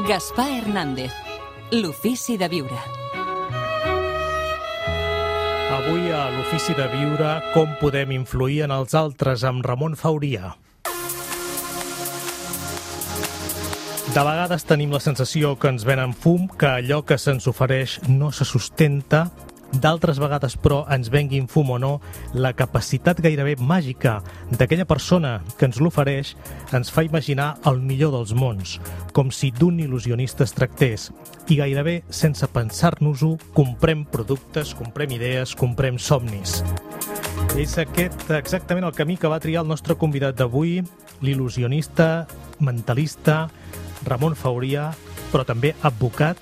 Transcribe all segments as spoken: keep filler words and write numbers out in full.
Gaspar Hernández, l'ofici de viure. Avui a l'ofici de viure, com podem influir en els altres, amb Ramon Fauria. De vegades tenim la sensació que ens venen fum, que allò que se'ns ofereix no se sustenta. D'altres vegades, però, ens venguin fum o no, la capacitat gairebé màgica d'aquella persona que ens l'ofereix ens fa imaginar el millor dels mons, com si d'un il·lusionista es tractés. I gairebé, sense pensar-nos-ho, comprem productes, comprem idees, comprem somnis. És aquest exactament el camí que va triar el nostre convidat d'avui, l'il·lusionista, mentalista, Ramon Fauria, però també advocat,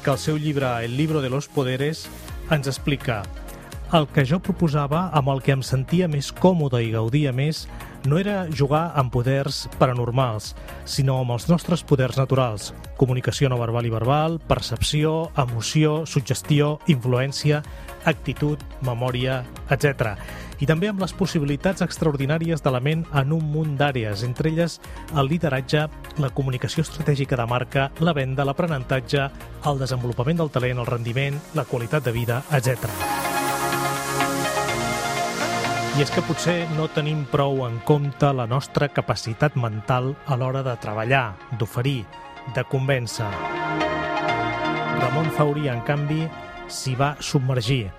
que al seu llibre El libro de los poderes ens explica: el que jo proposava, amb el que em sentia més còmode i gaudia més, no era jugar amb poders paranormals, sinó amb els nostres poders naturals: comunicació no verbal i verbal, percepció, emoció, suggestió, influència, actitud, memòria, etcètera. I també amb les possibilitats extraordinàries de la ment en un munt d'àrees, entre elles el lideratge, la comunicació estratègica de marca, la venda, l'aprenentatge, el desenvolupament del talent, el rendiment, la qualitat de vida, etcètera. I és que potser no tenim prou en compte la nostra capacitat mental a l'hora de treballar, d'oferir, de convèncer. Ramon Fauria, en canvi, s'hi va submergir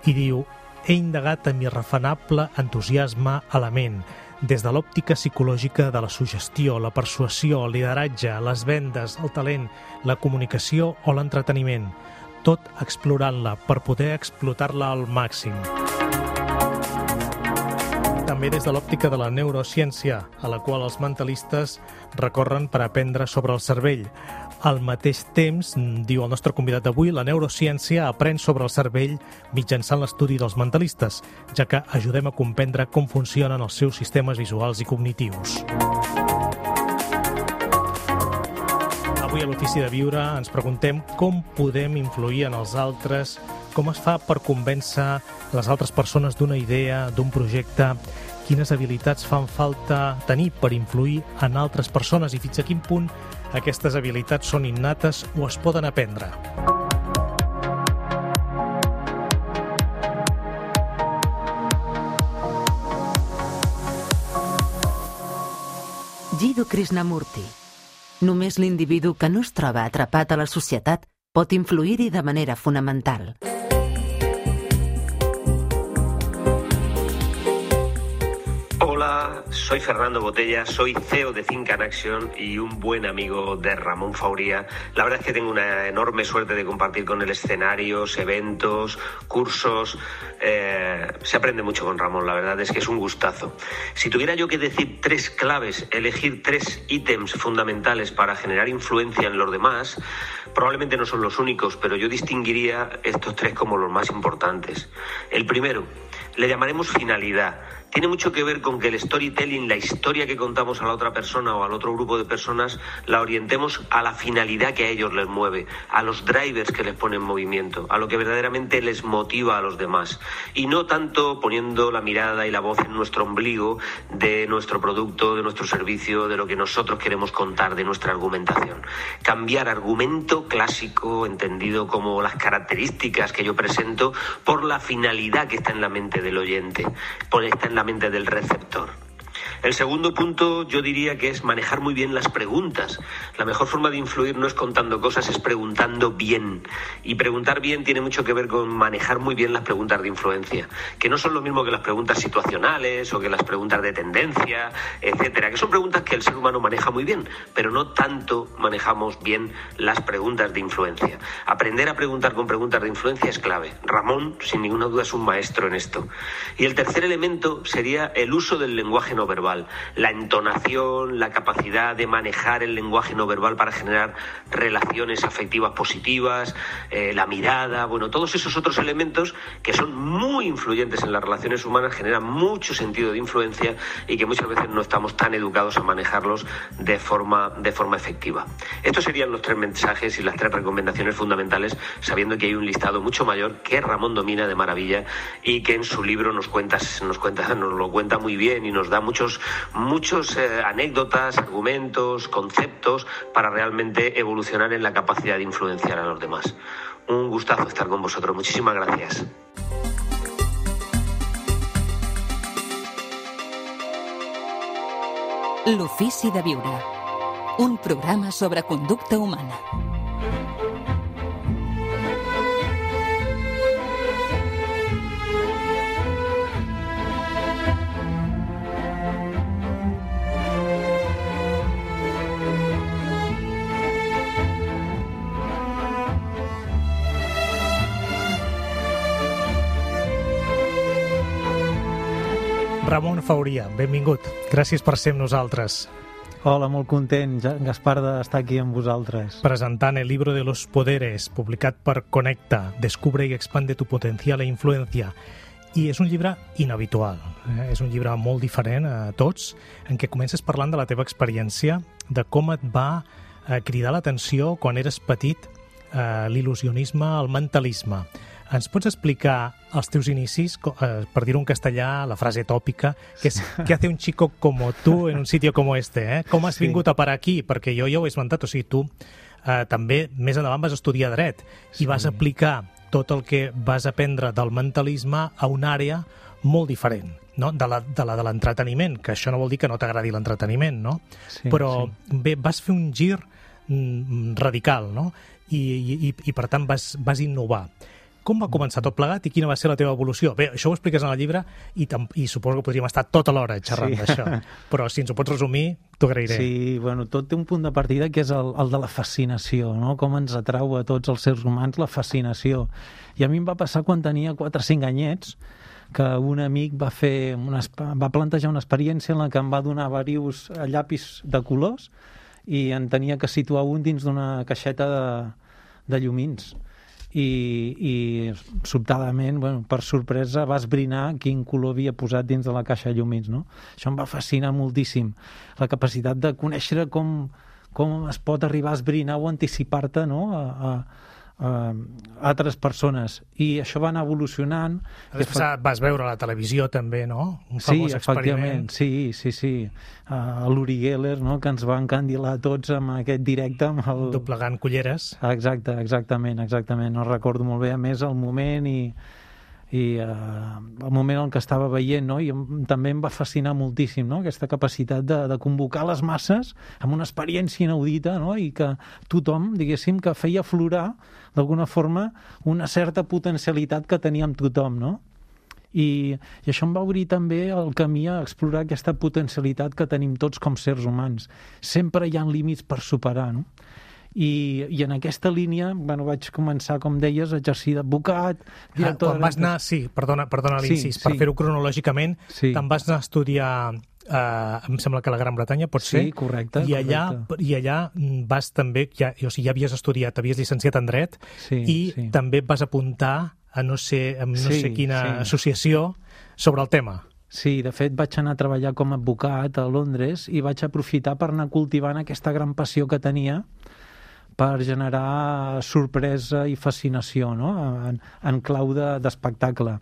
i diu: he indagat amb irrefanable entusiasme a la ment, des de l'òptica psicològica de la suggestió, la persuasió, el lideratge, les vendes, el talent, la comunicació o l'entreteniment, tot explorant-la per poder explotar-la al màxim. També des de l'òptica de la neurociència, a la qual els mentalistes recorren per aprendre sobre el cervell. Al mateix temps, diu el nostre convidat d'avui, la neurociència aprèn sobre el cervell mitjançant l'estudi dels mentalistes, ja que ajudem a comprendre com funcionen els seus sistemes visuals i cognitius. Avui a l'Ofici de Viure ens preguntem com podem influir en els altres, com es fa per convèncer les altres persones d'una idea, d'un projecte, quines habilitats fan falta tenir per influir en altres persones i fins a quin punt aquestes habilitats són innates o es poden aprendre. Jiddu Krishnamurti. Només l'individu que no es troba atrapat a la societat pot influir-hi de manera fonamental. Hola, soy Fernando Botella, soy C E O de Think and Action y un buen amigo de Ramón Fauria. La verdad es que tengo una enorme suerte de compartir con él escenarios, eventos, cursos. Eh, se aprende mucho con Ramón, la verdad es que es un gustazo. Si tuviera yo que decir tres claves, elegir tres ítems fundamentales para generar influencia en los demás, probablemente no son los únicos, pero yo distinguiría estos tres como los más importantes. El primero, le llamaremos finalidad. Tiene mucho que ver con que el storytelling, la historia que contamos a la otra persona o al otro grupo de personas, la orientemos a la finalidad que a ellos les mueve, a los drivers que les pone en movimiento, a lo que verdaderamente les motiva a los demás. Y no tanto poniendo la mirada y la voz en nuestro ombligo de nuestro producto, de nuestro servicio, de lo que nosotros queremos contar, de nuestra argumentación. Cambiar argumento clásico, entendido como las características que yo presento, por la finalidad que está en la mente del oyente, por está en la mente del receptor. El segundo punto yo diría que es manejar muy bien las preguntas. La mejor forma de influir no es contando cosas, es preguntando bien. Y preguntar bien tiene mucho que ver con manejar muy bien las preguntas de influencia, que no son lo mismo que las preguntas situacionales o que las preguntas de tendencia, etcétera, que son preguntas que el ser humano maneja muy bien, pero no tanto manejamos bien las preguntas de influencia. Aprender a preguntar con preguntas de influencia es clave. Ramón, sin ninguna duda, es un maestro en esto. Y el tercer elemento sería el uso del lenguaje no verbal. La entonación, la capacidad de manejar el lenguaje no verbal para generar relaciones afectivas positivas, eh, la mirada, bueno, todos esos otros elementos que son muy influyentes en las relaciones humanas, generan mucho sentido de influencia y que muchas veces no estamos tan educados a manejarlos de forma, de forma efectiva. Estos serían los tres mensajes y las tres recomendaciones fundamentales, sabiendo que hay un listado mucho mayor que Ramón domina de maravilla y que en su libro nos cuenta, nos cuenta, nos lo cuenta muy bien y nos da muchos muchos eh, anécdotas, argumentos, conceptos para realmente evolucionar en la capacidad de influenciar a los demás. Un gustazo estar con vosotros. Muchísimas gracias. L'Ofici de Viure, un programa sobre conducta humana. Ramon Fauria, benvingut. Gràcies per ser amb nosaltres. Hola, molt content, Gaspar, d'estar aquí amb vosaltres. Presentant el libro de los poderes, publicat per Connecta, Descubre y expande tu potencial e influencia. I és un llibre inhabitual, eh? És un llibre molt diferent a tots, en què comences parlant de la teva experiència, de com et va eh, cridar l'atenció quan eres petit eh, l'il·lusionisme, el mentalisme. Ens pots explicar els teus inicis, eh, per dir-ho en castellà, la frase tòpica, que és «¿Qué hace un chico como tú en un sitio como este?» Eh? Com has sí. vingut a parar aquí? Perquè jo ja ho he esmentat, o sigui, tu eh, també més endavant vas estudiar dret sí. i vas aplicar tot el que vas aprendre del mentalisme a una àrea molt diferent, no? de la de la de l'entreteniment, que això no vol dir que no t'agradi l'entreteniment, no? Sí, però sí. bé, vas fer un gir mm, radical, no? I, i, i per tant vas, vas innovar. Com va començar tot plegat i quina va ser la teva evolució? Bé, això ho expliques en el llibre i, i suposo que podríem estar tota l'hora xerrant sí. d'això, però si ens ho pots resumir, t'ho agrairé. Sí, bueno, tot té un punt de partida que és el, el de la fascinació, no? Com ens atrau a tots els seres humans la fascinació. I a mi em va passar quan tenia quatre o cinc anyets, que un amic va fer una, va plantejar una experiència en la que em va donar diversos llapis de colors i en tenia que situar un dins d'una caixeta de, de llumins. I, i sobtadament, bueno, per sorpresa, va esbrinar quin color havia posat dins de la caixa de llumins, no? Això em va fascinar moltíssim, la capacitat de conèixer com, com es pot arribar a esbrinar o anticipar-te, no?, a, a, a altres persones. I això va anar evolucionant. Després fa... vas veure a la televisió també, no? Un famós sí, experiment. Sí, sí, sí. Uh, l'Uri Geller, no?, que ens va encandilar tots amb aquest directe. Amb el... Doblegant culleres. Exacte, exactament, exactament. No recordo molt bé, a més, el moment i, i uh, el moment en què estava veient, no? I també em va fascinar moltíssim, no?, aquesta capacitat de, de convocar les masses amb una experiència inaudita, no?, i que tothom, diguéssim, que feia aflorar d'alguna forma una certa potencialitat que tenia amb tothom, no? I, i això em va obrir també el camí a explorar aquesta potencialitat que tenim tots com sers humans. Sempre hi ha límits per superar, no? I, i en aquesta línia, bueno, vaig començar, com deies, a exercir d'advocat, director... Ah, quan vas anar, sí, perdona, perdona l'incís, sí, per sí. fer-ho cronològicament, sí. te'n vas anar a estudiar, eh, em sembla que a la Gran Bretanya, pot ser? Sí, correcte. I allà, correcte. I allà vas també, ja, o sigui, ja havies estudiat, havies llicenciat en dret, sí, i sí. també et vas apuntar a no sé, a no sí, sé quina sí. associació sobre el tema. Sí, de fet vaig anar a treballar com a advocat a Londres i vaig aprofitar per anar cultivant aquesta gran passió que tenia per generar sorpresa i fascinació, no?, en, en clau d'espectacle.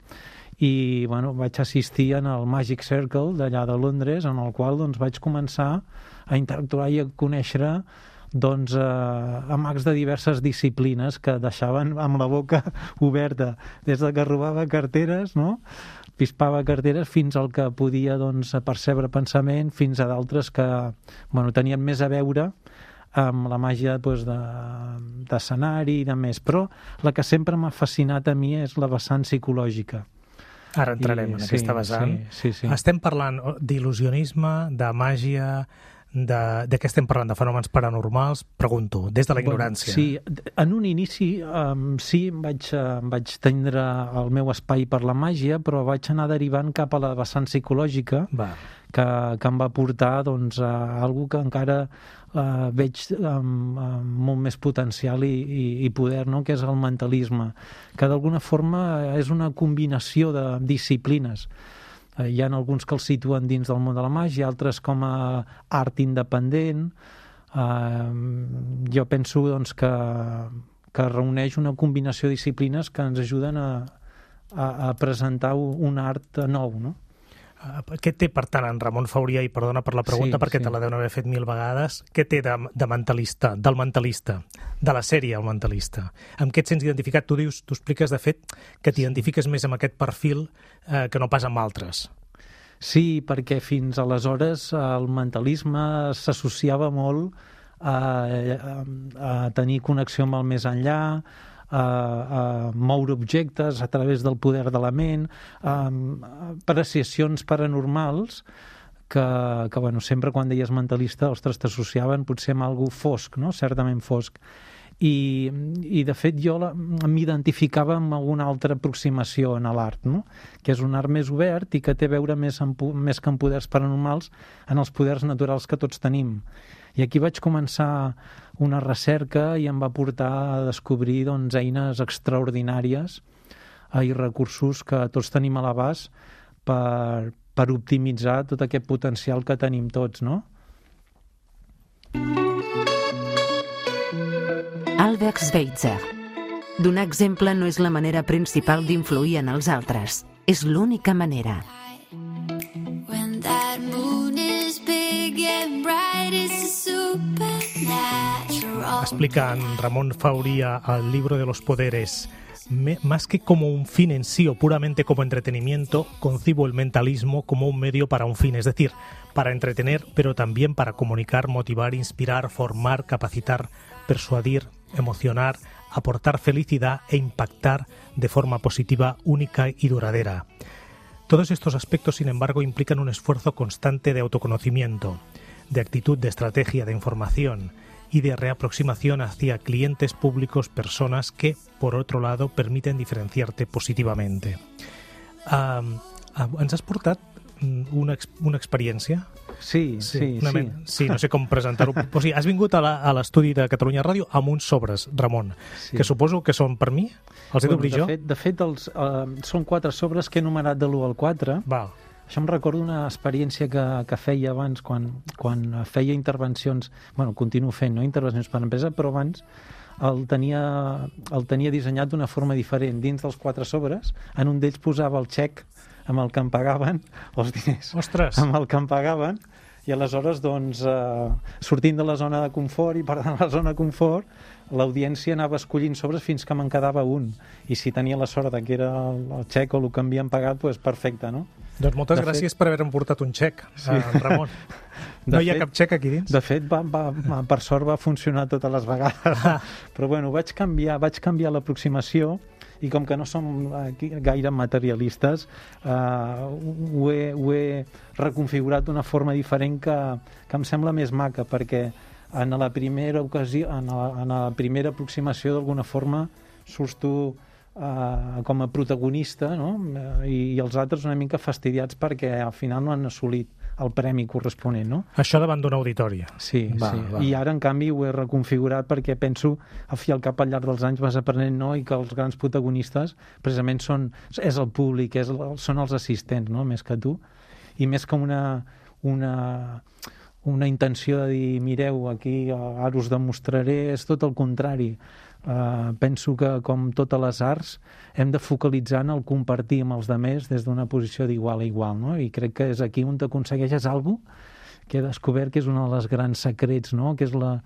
I bueno, vaig assistir en el Magic Circle d'allà de Londres, en el qual doncs, vaig començar a interactuar i a conèixer doncs, eh, a mags de diverses disciplines que deixaven amb la boca oberta, des de que robava carteres, no?, pispava carteres, fins al que podia doncs, percebre pensament, fins a d'altres que bueno, tenien més a veure amb la màgia doncs, d'escenari i de més. Però la que sempre m'ha fascinat a mi és la vessant psicològica. Ara entrarem I, en aquesta sí, vessant. Sí, sí, sí. Estem parlant d'il·lusionisme, de màgia, de, de què estem parlant? De fenòmens paranormals? Pregunto, des de la ignorància. Bueno, sí, en un inici um, sí, vaig, uh, vaig tindre el meu espai per la màgia, però vaig anar derivant cap a la vessant psicològica, Va. que, que em va portar doncs, a algo que encara uh, veig amb, amb molt més potencial i, i, i poder, no?, que és el mentalisme, que d'alguna forma és una combinació de disciplines. Uh, hi ha alguns que els situen dins del món de la màgia, altres com a art independent. Uh, jo penso doncs, que, que reuneix una combinació de disciplines que ens ajuden a, a, a presentar un art nou, no? Què té, per tant, en Ramon Fauria, i perdona per la pregunta, Sí, perquè sí. te la deuen haver fet mil vegades, què té de, de mentalista, del mentalista, de la sèrie El mentalista? Amb què et sents identificat? Tu dius, tu expliques, de fet, que t'identifiques més amb aquest perfil eh, que no pas amb altres. Sí, perquè fins aleshores el mentalisme s'associava molt a, a, a tenir connexió amb el més enllà, a, a moure objectes a través del poder de la ment, a, a apreciacions paranormals que, que bueno, sempre quan deies mentalista, ostres, t'associaven potser amb algú fosc, no? Certament fosc. I, i de fet jo m'identificava amb alguna altra aproximació en l'art, no? Que és un art més obert i que té a veure més, en, més que en poders paranormals en els poders naturals que tots tenim. I aquí vaig començar una recerca i em va portar a descobrir doncs, eines extraordinàries i recursos que tots tenim a l'abast per, per optimitzar tot aquest potencial que tenim tots, no? Albert Schweitzer. Donar exemple no és la manera principal d'influir en els altres. És l'única manera. When that moon is big and bright, it's a supernatural. Explica en Ramón Fauria al libro de los poderes: Me, más que como un fin en sí o puramente como entretenimiento, concibo el mentalismo como un medio para un fin, es decir, para entretener, pero también para comunicar, motivar, inspirar, formar, capacitar, persuadir, emocionar, aportar felicidad e impactar de forma positiva, única y duradera. Todos estos aspectos, sin embargo, implican un esfuerzo constante de autoconocimiento, de actitud, de estrategia, de información y de reaproximación hacia clientes, públicos, personas que, por otro lado, permiten diferenciarte positivamente. Uh, uh, ens has portat una, una experiència? Sí, sí, una sí. Men... sí, no sé com presentar-ho. O sigui, has vingut a l'estudi de Catalunya Ràdio amb uns sobres, Ramon, Sí. que suposo que són per mi? Els he Bueno, d'obrir de jo? fet, de fet els, uh, són quatre sobres que he numerat de l'u al quatre. Val. Això em recordo una experiència que, que feia abans, quan, quan feia intervencions, bueno, continuo fent, no intervencions per empresa, però abans el tenia, el tenia dissenyat d'una forma diferent. Dins dels quatre sobres, en un d'ells posava el xec amb el que em pagaven, els diners Ostres! amb el que em pagaven, i aleshores, doncs, eh, sortint de la zona de confort i per tant la zona de confort, l'audiència anava escollint sobres fins que me'n quedava un. I si tenia la sort que era el, el xec o el que m'havien pagat, doncs perfecte, no? Doncs moltes De gràcies fet- per haver-me portat un xec, Sí. eh, Ramon. De No hi ha fet- cap xec aquí dins? De fet, va, va, va, per sort va funcionar totes les vegades. Però bueno, vaig canviar, vaig canviar l'aproximació i com que no som aquí gaire materialistes, eh, ho, he, ho he reconfigurat d'una forma diferent que, que em sembla més maca, perquè en la primera ocasió, en la, en la primera aproximació d'alguna forma surts tu Uh, com a protagonista, no? I, i els altres una mica fastidiats perquè al final no han assolit el premi corresponent, no? Això davant d'un auditori. Sí, Va, sí. va. I ara, en canvi, ho he reconfigurat perquè penso, al fi i al cap, al llarg dels anys vas aprenent, no? I que els grans protagonistes precisament són, és el públic, és, el- són els assistents, no? Més que tu. I més que una, una, una intenció de dir, mireu, aquí ara us demostraré, és tot el contrari. Uh, penso que, com totes les arts, hem de focalitzar en el compartir amb els altres des d'una posició d'igual a igual, no? I crec que és aquí on t'aconsegueixes alguna cosa que he descobert que és un dels grans secrets, no? Que és la...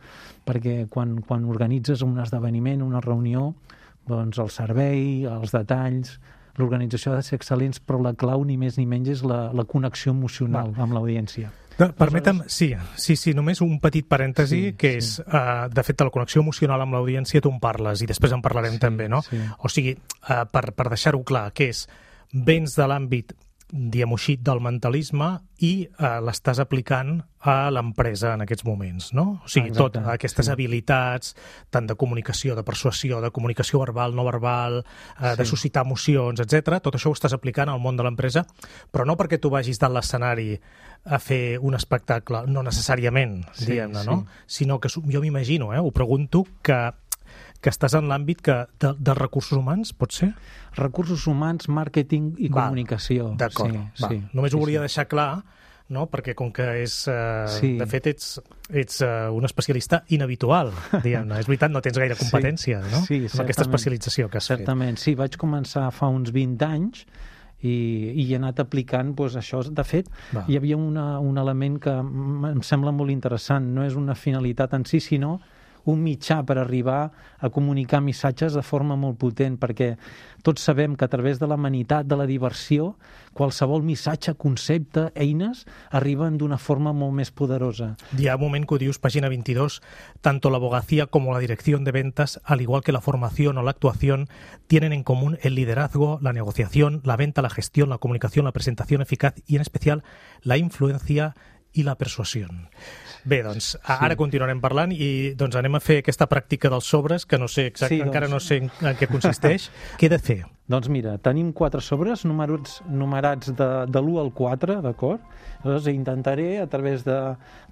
perquè quan, quan organitzes un esdeveniment, una reunió, doncs el servei, els detalls, l'organització ha de ser excel·lents, però la clau ni més ni menys és la, la connexió emocional Va. amb l'audiència. No, permetem, sí, sí, sí, només un petit parèntesi, Sí, que sí. és, uh, de fet, de la connexió emocional amb l'audiència tu en parles, i després en parlarem Sí, també, no? sí. O sigui, uh, per, per deixar-ho clar, que és, vens de l'àmbit, diguem-ho així, del mentalisme i uh, l'estàs aplicant a l'empresa en aquests moments, no? O sigui, Exacte, tot, aquestes sí. habilitats, tant de comunicació, de persuasió, de comunicació verbal, no verbal, uh, de Sí. suscitar emocions, etcètera. Tot això ho estàs aplicant al món de l'empresa, però no perquè tu vagis dalt l'escenari a fer un espectacle, no necessàriament, Sí, diguem-ne, sí. no? Sinó que su- jo m'imagino, eh, ho pregunto, que, que estàs en l'àmbit que de, dels recursos humans, pot ser? Recursos humans, màrqueting i Val, comunicació. D'acord, sí, va. sí, Només sí, ho volia sí. deixar clar, no? Perquè com que és... Uh, Sí. De fet, ets, ets uh, un especialista inhabitual, diguem-ne. És veritat, no tens gaire competència, no? Sí, Amb aquesta certament. especialització que has Certament, sí, vaig començar fa uns vint anys i, i he anat aplicant doncs, això. De fet, Va. hi havia una, un element que em sembla molt interessant, no és una finalitat en si, sinó un mitjà per arribar a comunicar missatges de forma molt potent, perquè tots sabem que a través de l'amenitat, de la diversió, qualsevol missatge, concepte, eines, arriben d'una forma molt més poderosa. Hi ha un moment que ho dius, pàgina veintidós, tanto la abogacía como la dirección de ventas, al igual que la formación o la actuación, tienen en común el liderazgo, la negociación, la venta, la gestión, la comunicación, la presentación eficaz y, en especial, la influencia i la persuasió. Bé, doncs, ara sí. continuarem parlant i doncs anem a fer aquesta pràctica dels sobres, que no sé exacte, sí, doncs... encara no sé en, en què consisteix. Què he de fer? Doncs mira, tenim quatre sobres numerats, numerats de, de l'u al quatre, d'acord? Llavors intentaré, a través de,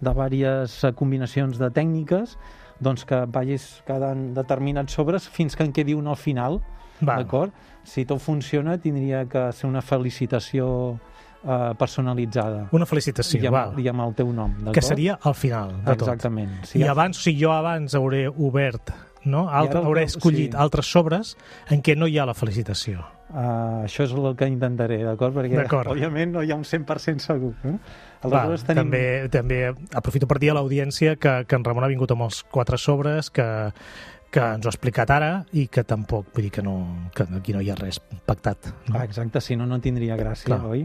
de diverses combinacions de tècniques, doncs que vagis quedant determinats sobres fins que en quedi un al final, d'acord? Si tot funciona, tindria que ser una felicitació Uh, personalitzada. Una felicitació, I amb, val. I amb el teu nom, d'acord? Que seria al final de tot. Exactament. Si I abans, o sigui, jo abans hauré obert, no? Altre, ara, hauré escollit sí. altres sobres en què no hi ha la felicitació. Uh, això és el que intentaré, d'acord? Perquè, òbviament, no hi ha un cent per cent segur. Eh? Val, tenim... també, també aprofito per dir a l'audiència que, que en Ramon ha vingut amb els quatre sobres, que que ens ho ha explicat ara i que tampoc, vull dir que, no, que aquí no hi ha res pactat. No? Ah, exacte, si no, no tindria gràcia, Clar. oi?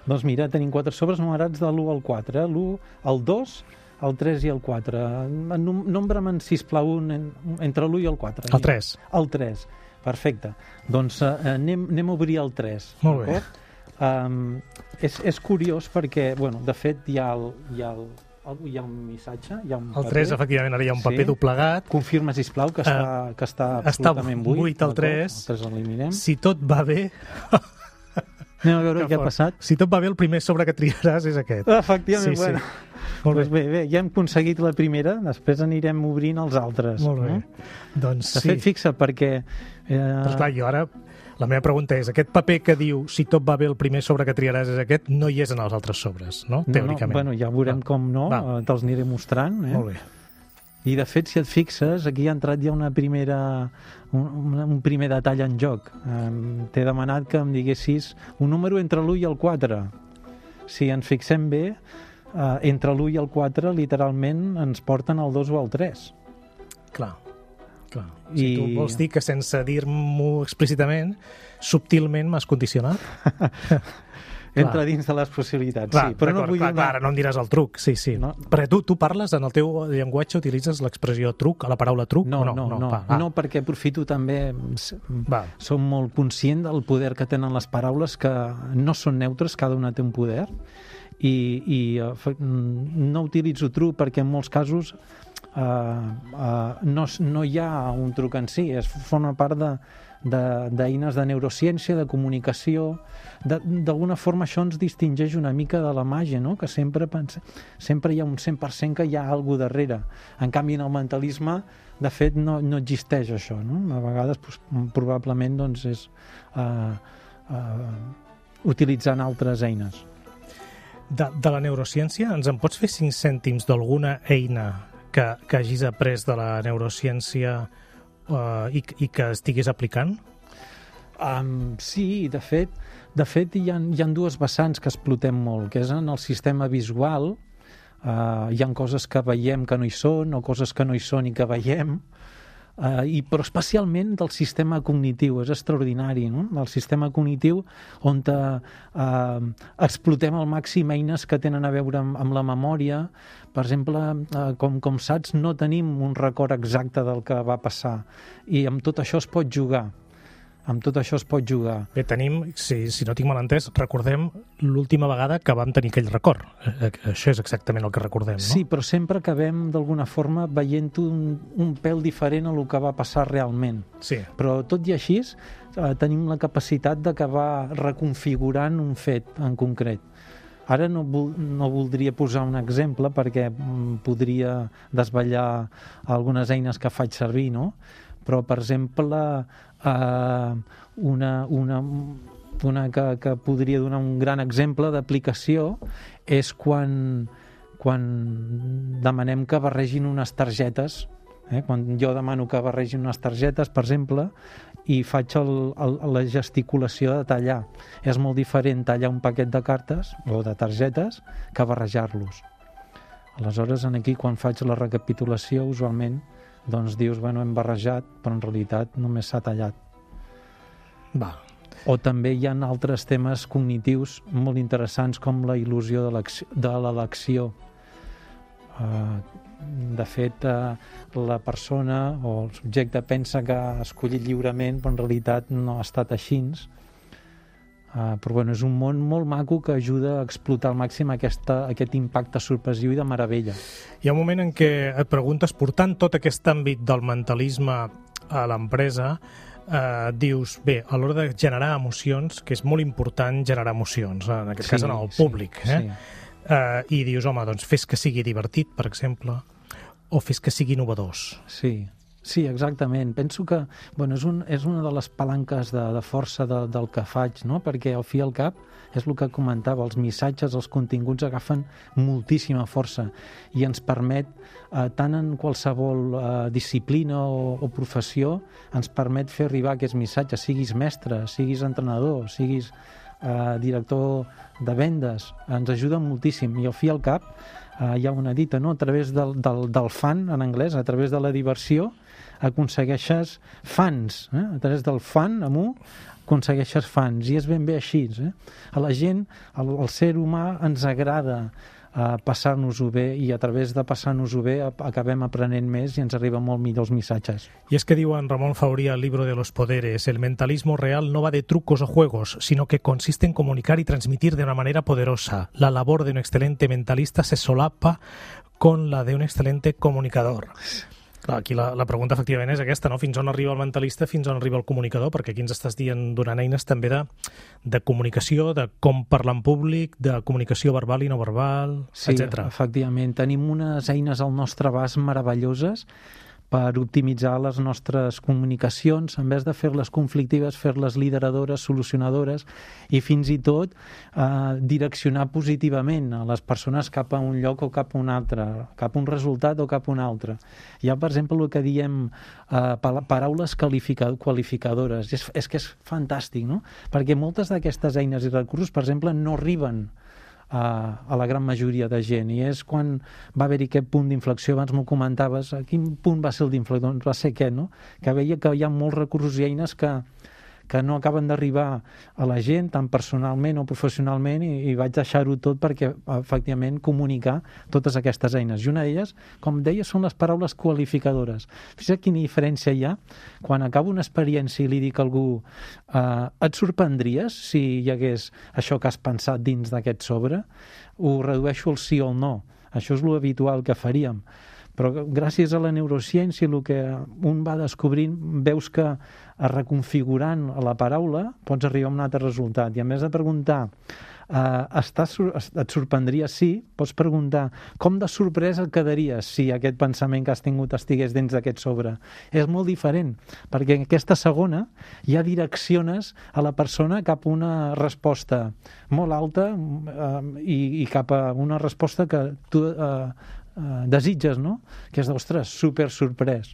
Doncs mira, tenim quatre sobres numerats de l'u al quatre, l'u, el dos, el tres i el quatre. Nombra'm, sisplau, un, entre l'u i el quatre. El tres. El tres, perfecte. Doncs uh, anem, anem a obrir el tres. Molt bé. Um, és, és curiós perquè, bueno, de fet, hi ha el... Hi ha el hi ha un missatge, hi ha un el tres, efectivament, ara hi ha un paper sí. doblegat. Confirma, sisplau, que està, uh, que està absolutament buit. Està buit el tres. El tres l'eliminem. Si tot va bé... Anem a veure què ha passat. Si tot va bé, el primer sobre que triaràs és aquest. Efectivament, sí, bueno. Sí. Molt pues bé. bé, bé, ja hem aconseguit la primera, després anirem obrint els altres. Molt bé. No? Doncs de sí. fet, fixa, perquè... Eh... Però esclar, jo ara... La meva pregunta és, aquest paper que diu si tot va bé el primer sobre que triaràs és aquest, no hi és en els altres sobres, no? Teòricament. No, no, bueno, ja veurem Va. com no, Va. te'ls aniré mostrant. Eh? Molt bé. I de fet, si et fixes, aquí ha entrat ja una primera, un, un primer detall en joc. Um, T'he demanat que em diguessis un número entre l'u i el quatre. Si ens fixem bé, uh, entre l'u i el quatre literalment ens porten el dos o el tres. Clar. Clar. Si I... tu vols dir que sense dir-m'ho explícitament, subtilment m'has condicionat? Entra dins de les possibilitats, clar, sí. Però no vull clar, donar... clar, no em diràs el truc, sí, sí. No? Perquè tu, tu parles, en el teu llenguatge utilitzes l'expressió truc, a la paraula truc? No, o no, no, no, no, no, no perquè aprofito també... Va. Som molt conscient del poder que tenen les paraules, que no són neutres, cada una té un poder, i, i uh, no utilitzo truc perquè en molts casos Uh, uh, no, no hi ha un truc en si, es forma part de, de, d'eines de neurociència, de comunicació. D'alguna forma això ens distingeix una mica de la màgia, no? Que sempre, pense, sempre hi ha un cent per cent que hi ha alguna cosa darrere. En canvi, en el mentalisme, de fet, no, no existeix això, no? A vegades, pues, probablement, doncs, és uh, uh, utilitzant altres eines. De, de la neurociència, ens en pots fer cinc cèntims d'alguna eina que, que hagis après de la neurociència uh, i, i que estiguis aplicant? Um, sí, de fet, de fet hi ha, hi ha dues vessants que explotem molt, que és en el sistema visual. Uh, hi ha coses que veiem que no hi són, o coses que no hi són i que veiem, uh, i, però especialment del sistema cognitiu, és extraordinari, no? Del sistema cognitiu on uh, uh, explotem al màxim eines que tenen a veure amb, amb la memòria. Per exemple, uh, com, com saps, no tenim un record exacte del que va passar, i amb tot això es pot jugar. Amb tot això es pot jugar. Bé, tenim, si, si no tinc mal entès, recordem l'última vegada que vam tenir aquell record. Això és exactament el que recordem, no? Sí, però sempre acabem d'alguna forma veient un, un pèl diferent a el que va passar realment. Sí. Però tot i així, eh, tenim la capacitat d'acabar reconfigurant un fet en concret. Ara no, vol, no voldria posar un exemple perquè mm, podria desvetllar algunes eines que faig servir, no? Però, per exemple, eh, una, una, una que, que podria donar un gran exemple d'aplicació és quan, quan demanem que barregin unes targetes Eh? Quan jo demano que barregin unes targetes, per exemple, i faig el, el, la gesticulació de tallar. És molt diferent tallar un paquet de cartes o de targetes que barrejar-los. Aleshores, aquí, quan faig la recapitulació, usualment, doncs dius, bueno, hem barrejat, però en realitat només s'ha tallat. Va. O també hi ha altres temes cognitius molt interessants, com la il·lusió de l'elecció. Uh, de fet, uh, la persona o el subjecte pensa que ha escollit lliurement, però en realitat no ha estat així. Uh, però bueno, és un món molt maco que ajuda a explotar al màxim aquesta, aquest impacte sorpresiu i de meravella. Hi ha un moment en què et preguntes, portant tot aquest àmbit del mentalisme a l'empresa, eh, dius, bé, a l'hora de generar emocions, que és molt important generar emocions, en aquest Sí, cas en el sí, públic, eh? sí. Uh, i dius, home, doncs fes que sigui divertit, per exemple, o fes que sigui innovadors. Sí, sí, exactament. Penso que bueno, és, un, és una de les palanques de, de força de, del que faig, no? Perquè al fi i al cap és el que comentava, els missatges, els continguts agafen moltíssima força i ens permet, eh, tant en qualsevol eh, disciplina o, o professió, ens permet fer arribar aquests missatges, siguis mestre, siguis entrenador, siguis eh, director de vendes, ens ajuda moltíssim. I al fi i al cap eh, hi ha una dita, no? A través del, del, del fun, en anglès, a través de la diversió, aconsegueixes fans, eh? A través del fun, amb un, aconsegueixes fans, i és ben bé així. Eh? A la gent, el, el ser humà, ens agrada eh, passar-nos-ho bé, i a través de passar-nos-ho bé acabem aprenent més i ens arriben molt millor els missatges. Y es que digo en Ramón Fauría, el libro de los poderes, el mentalismo real no va de trucos o juegos, sino que consiste en comunicar y transmitir de una manera poderosa. La labor de un excelente mentalista se solapa con la de un excelente comunicador. Clar, aquí la, la pregunta efectivament és aquesta, no? Fins on arriba el mentalista, fins on arriba el comunicador, perquè aquí ens estàs dient, donant eines també de, de comunicació, de com parlar en públic, de comunicació verbal i no verbal, Sí, etcètera. efectivament. Tenim unes eines al nostre abast meravelloses per optimitzar les nostres comunicacions, en vez de fer-les conflictives, fer-les lideradores, solucionadores, i fins i tot eh, direccionar positivament a les persones cap a un lloc o cap a un altre, cap a un resultat o cap a un altre. Hi ha, per exemple, el que diem eh, paraules qualifica qualificadores. És, és que és fantàstic, no? Perquè moltes d'aquestes eines i recursos, per exemple, no arriben a, a la gran majoria de gent, i és quan va haver-hi aquest punt d'inflexió. Abans m'ho comentaves, a quin punt va ser el d'inflexió? Doncs va ser aquest, no? Que veia que hi ha molts recursos i eines que que no acaben d'arribar a la gent, tant personalment o professionalment, i, i vaig deixar-ho tot perquè, efectivament, comunicar totes aquestes eines. I una d'elles, com deia, són les paraules qualificadores. Fixa't quina diferència hi ha quan acabo una experiència i li dic a algú eh, et sorprendries si hi hagués això que has pensat dins d'aquest sobre? Ho redueixo al sí o al no. Això és l'habitual que faríem. Però gràcies a la neurociència, el que un va descobrint, veus que reconfigurant la paraula pots arribar a un altre resultat. I a més de preguntar eh, estàs, et sorprendria sí, pots preguntar com de sorpresa et quedaries si aquest pensament que has tingut estigués dins d'aquest sobre. És molt diferent, perquè en aquesta segona ja direcciones a la persona cap a una resposta molt alta eh, i, i cap a una resposta que tu eh, Uh, desitges, no? Que és, ostres, super sorprès.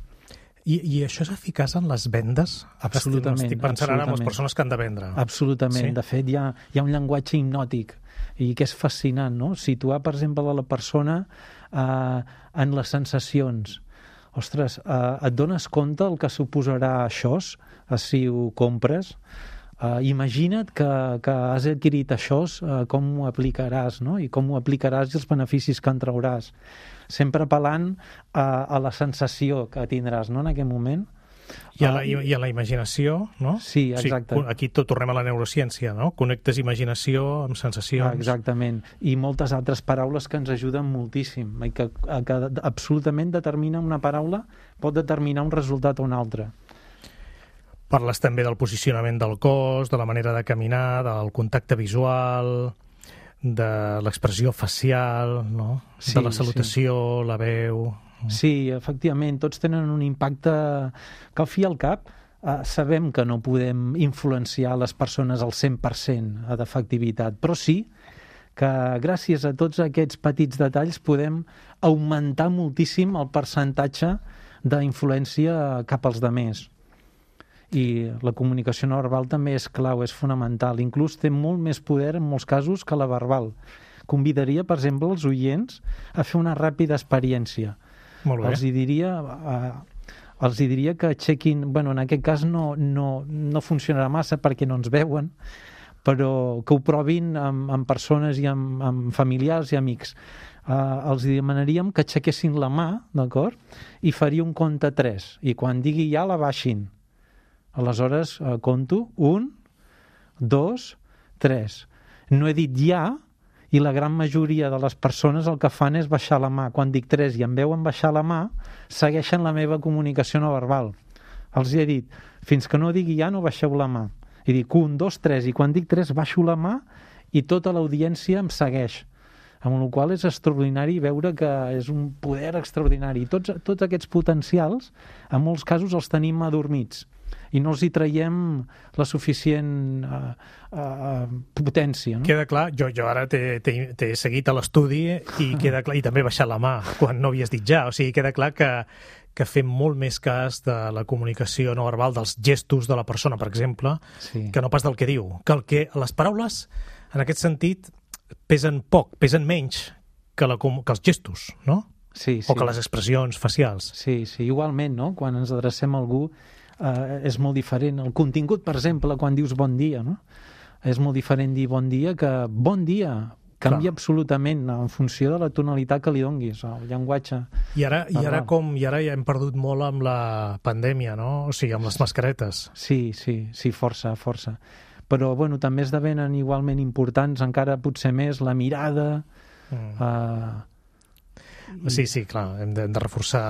I, I això és eficaç en les vendes? Absolutament. Estic pensant ara en les persones que han de vendre. Absolutament. Sí? De fet, hi ha, hi ha un llenguatge hipnòtic i que és fascinant, no? Situar, per exemple, la persona uh, en les sensacions. Ostres, uh, et dones compte el que suposarà això si ho compres? Uh, imagina't que, que has adquirit això, uh, com ho aplicaràs, no? I com ho aplicaràs i els beneficis que en trauràs. Sempre apel·lant a, a la sensació que tindràs, no?, en aquest moment. I a la, i a la imaginació, no? Sí, exacte. O sigui, aquí tot tornem a la neurociència, no? Connectes imaginació amb sensacions. Ah, exactament. I moltes altres paraules que ens ajuden moltíssim, i que, que absolutament determina una paraula, pot determinar un resultat o un altre. Parles també del posicionament del cos, de la manera de caminar, del contacte visual, de l'expressió facial, no? Sí, de la salutació, sí. La veu... Sí, efectivament, tots tenen un impacte que al fi i al cap eh, sabem que no podem influenciar les persones al cent per cent d'efectivitat, però sí que gràcies a tots aquests petits detalls podem augmentar moltíssim el percentatge d'influència cap als demés. I la comunicació no verbal també és clau, és fonamental. Inclús té molt més poder en molts casos que la verbal. Convidaria, per exemple, els oients a fer una ràpida experiència. Molt bé. Els hi diria, eh, els hi diria que aixequin... Bueno, en aquest cas no, no, no funcionarà massa perquè no ens veuen, però que ho provin amb, amb persones i amb, amb familiars i amics. Uh, els demanaríem que aixequessin la mà, d'acord? I faria un compte tres. I quan digui ja, la baixin. Aleshores, uh, conto un, dos, tres. No he dit ja, i la gran majoria de les persones el que fan és baixar la mà. Quan dic tres i em veuen baixar la mà, segueixen la meva comunicació no verbal. Els he dit, fins que no digui ja, no baixeu la mà. I dic un, dos, tres, i quan dic tres baixo la mà i tota l'audiència em segueix. Amb la qual cosa és extraordinari veure que és un poder extraordinari. Tots, tots aquests potencials, en molts casos els tenim adormits i no els hi traiem la suficient uh, uh, potència. No? Queda clar, jo, jo ara t'he seguit a l'estudi i queda clar, i també he baixat la mà quan no havies dit ja, o sigui, queda clar que, que fem molt més cas de la comunicació no verbal, dels gestos de la persona, per exemple, sí. que no pas del que diu. Que, el que les paraules, en aquest sentit, pesen poc, pesen menys que, la, que els gestos, no? Sí, sí. O que les expressions facials. Sí, sí, igualment, no? Quan ens adrecem a algú eh, és molt diferent. El contingut, per exemple, quan dius bon dia, no? És molt diferent dir bon dia que bon dia. Canvia Clar. absolutament en funció de la tonalitat que li donguis, el llenguatge. I ara, i ara com i ara ja hem perdut molt amb la pandèmia, no? O sigui, amb les mascaretes. Sí, sí, sí, força, força. Però, bueno, també esdevenen igualment importants, encara potser més, la mirada... Mm. Eh... Sí, sí, clar, hem de, hem de reforçar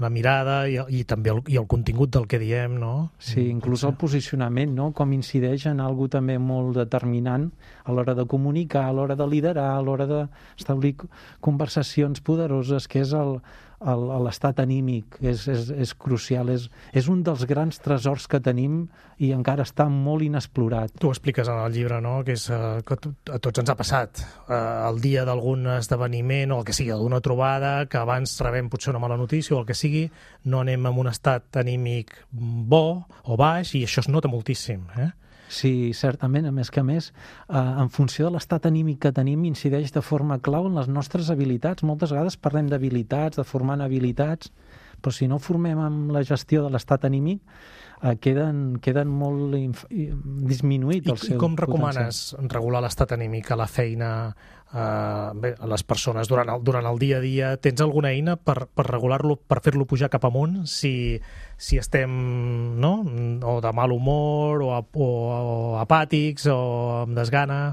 la mirada i, i també el, i el contingut del que diem, no? Sí, inclús el posicionament, no? Com incideix en algo també molt determinant a l'hora de comunicar, a l'hora de liderar, a l'hora d'establir conversacions poderoses, que és el, el, l'estat anímic, és, és, és crucial, és, és un dels grans tresors que tenim i encara està molt inexplorat. Tu ho expliques en el llibre, no?, que és uh, que a tots ens ha passat uh, el dia d'algun esdeveniment o el que sigui, d'una trobada, que abans rebem potser una mala notícia o el que sigui, no anem en un estat anímic bo o baix i això es nota moltíssim, eh? Sí, certament, a més que a més, eh, en funció de l'estat anímic que tenim, incideix de forma clau en les nostres habilitats. Moltes vegades parlem d'habilitats, de formant habilitats, però si no formem amb la gestió de l'estat anímic, eh, queden, queden molt inf... disminuït el I, seu I com recomanes potencial. regular l'estat anímic a la feina, eh, bé, a les persones durant el, durant el dia a dia? Tens alguna eina per, per regular-lo, per fer-lo pujar cap amunt si, si estem, no?, o de mal humor o, o, o apàtics o amb desgana?